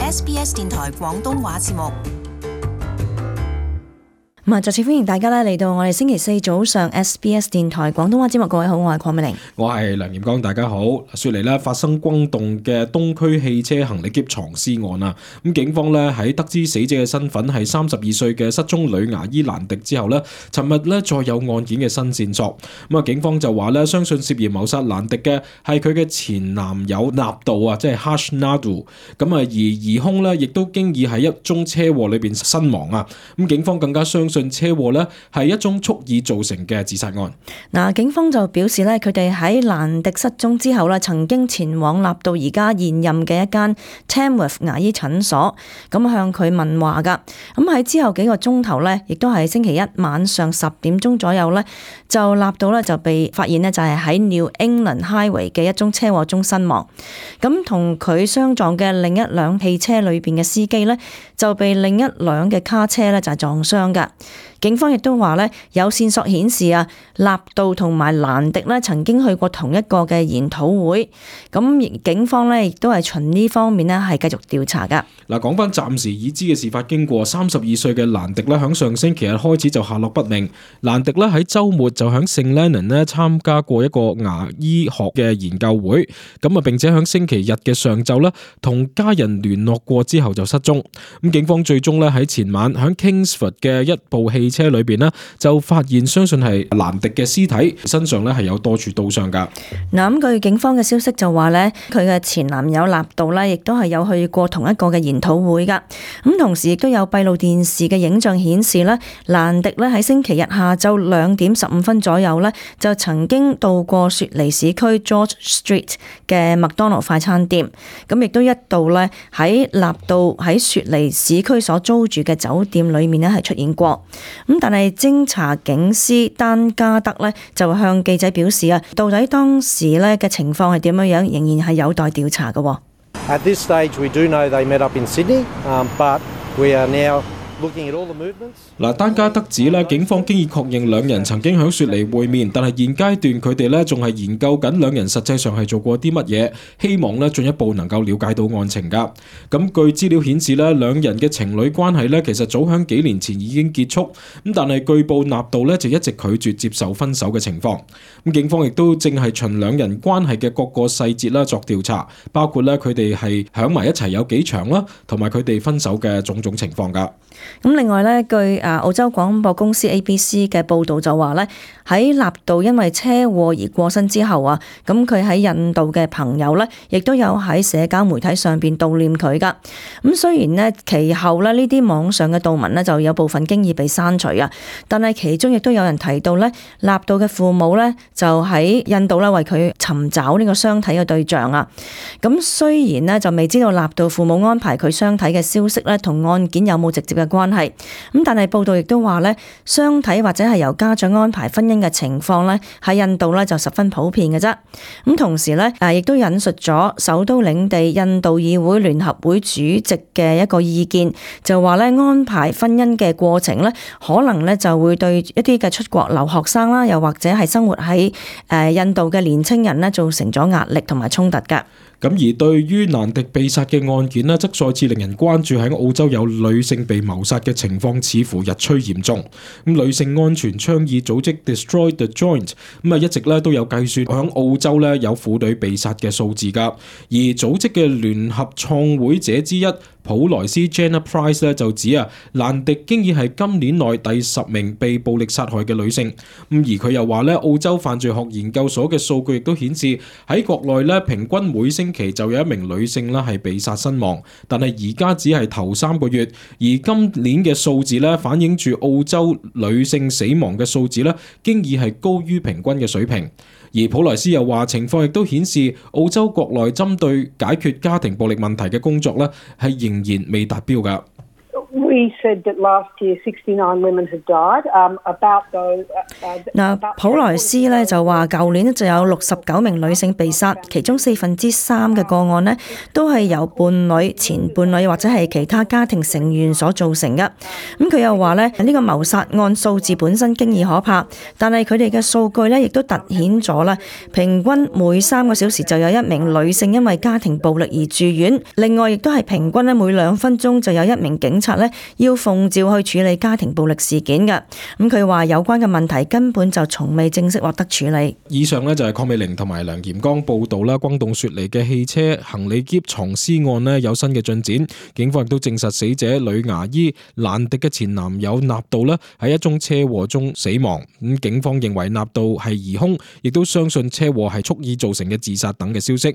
SBS 電台廣東話節目。再次歡迎大家嚟到我哋星期四早上 SBS 電台廣東話節目。各位好，我係鄺美玲，我係梁炎光，大家好。雪梨發生轟動嘅東區汽車行李篋藏屍案啊！咁警方喺得知死者嘅身份係32歲嘅失蹤女牙醫蘭迪之後尋日再有案件嘅新線索。警方就話相信涉嫌謀殺蘭迪嘅係佢嘅前男友納杜啊，即係 Harsh Naidu。而疑兇亦都經已喺一宗車禍裏邊身亡啊！咁警方更加相信車禍係一宗蓄意造成嘅自殺案。警方就表示佢哋喺蘭迪失蹤之後曾經前往納杜而家現任嘅一間 Tamworth 牙醫診所，向佢問話噶。喺之後幾個鐘頭亦都係星期一晚上10點鐘左右就納杜就被發現就係喺 New England Highway 嘅一宗車禍中身亡。同佢相撞嘅另一輛汽車裏邊嘅司機就被另一輛嘅卡車就係撞傷噶。警方亦都話有線索顯示納杜同埋蘭迪曾經去過同一個嘅研討會，警方亦都係循呢方面係繼續調查噶。講翻暫時已知嘅事發經過，32歲嘅蘭迪響上星期日開始就下落不明。蘭迪喺週末就響聖 Leonard 參加過一個牙醫學嘅研究會，並且響星期日嘅上晝同家人聯絡過之後就失蹤。警方最終喺前晚響 Kingsford 嘅一部汽車裏邊就發現相信係蘭迪嘅屍體，身上係有多處刀傷噶。據警方嘅消息就話佢嘅前男友納杜亦都係有去過同一個嘅研討會噶。同時亦都有閉路電視嘅影像顯示蘭迪喺星期日下晝2點15分左右就曾經到過雪梨市區 George Street 嘅麥當勞快餐店，亦都一度喺納杜喺雪梨市區所租住嘅酒店裏面係出現過。但係偵查警司丹加德就向記者表示到底當時嘅情況係點樣，仍然係有待調查嘅。At this stage, we do know they met up in Sydney, but we are now looking at all the movements. 丹加德指警方經已確認兩人曾經喺雪梨會面，但係現階段佢哋仲係研究緊兩人實際上係做過啲乜嘢，希望進一步能夠了解到案情噶。據資料顯示兩人嘅情侶關係其實早喺幾年前已經結束，但係據報納杜就一直拒絕接受分手嘅情況。警方亦都正係循兩人關係嘅各個細節作調查，包括佢哋係響埋一齊有幾長啦，同埋佢哋分手嘅種種情況噶。另外據澳洲廣播公司 ABC 嘅報道就話喺納杜因為車禍而過身之後咁佢喺印度嘅朋友亦都有喺社交媒體上邊悼念佢噶。雖然其後呢啲網上嘅悼文就有部分經已被刪除但係其中亦都有人提到納杜嘅父母就喺印度為佢尋找呢個相睇嘅對象咁雖然就未知道納杜父母安排佢相睇嘅消息同案件有冇直接嘅關係，但係報道亦都話相睇或者係由家長安排婚姻嘅情況喺印度就十分普遍嘅啫。同時亦都引述咗首都領地印度議會聯合會主席嘅一個意見，就話安排婚姻嘅過程可能就會對一啲嘅出國留學生啦，又或者係生活喺印度嘅年青人造成咗壓力同埋衝突㗎。而對於蘭迪被殺嘅案件則再次令人關注喺澳洲有女性被謀殺嘅情況似乎日趨嚴重。女性安全倡議組織 Destroy the Joint 一直都有計算喺澳洲有婦女被殺嘅數字㗎。而組織嘅聯合創會者之一普萊斯 Jenna Price 就指蘭迪經已係今年內第10名被暴力殺害嘅女性。而佢又話澳洲犯罪學研究所嘅數據亦都顯示喺國內平均每星期就有1名女性係被殺身亡，但係而家只係頭3個月，而今年嘅數字反映住澳洲女性死亡嘅數字經已係高於平均嘅水平。而普萊斯又話情況亦都顯示澳洲國內針對解決家庭暴力問題嘅工作係仍然未達標㗎。We said that last year 69 women had died. About those. 普萊斯呢就話，舊年就有69名女性被殺，其中3%嘅個案呢都係由伴侶、前伴侶或者係其他家庭成員所造成嘅。咁佢又話呢個謀殺案數字本身經已可怕，但係佢哋嘅數據呢亦都突顯咗啦，平均每3個小時就有1名女性因為家庭暴力而住院，另外亦都係平均咧每2分鐘就有1名警察咧要奉召去處理家庭暴力事件嘅。咁佢話有關嘅問題根本就從未正式獲得處理。以上呢就係鄺美玲同埋梁炎剛報道啦，轟動雪梨嘅汽車行李篋藏屍案呢有新嘅進展，警方亦都證實死者女牙醫蘭迪嘅前男友納度呢喺一宗車禍中死亡。咁警方認為納度係疑兇，亦都相信車禍係蓄意造成嘅自殺等嘅消息。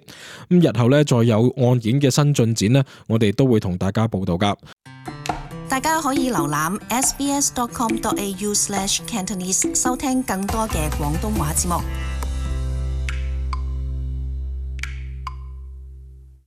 咁日後呢再有案件嘅新進展呢，我哋都會同大家報道噶。大家可以瀏覽 sbs.com.au/Cantonese 收聽更多嘅廣東話節目。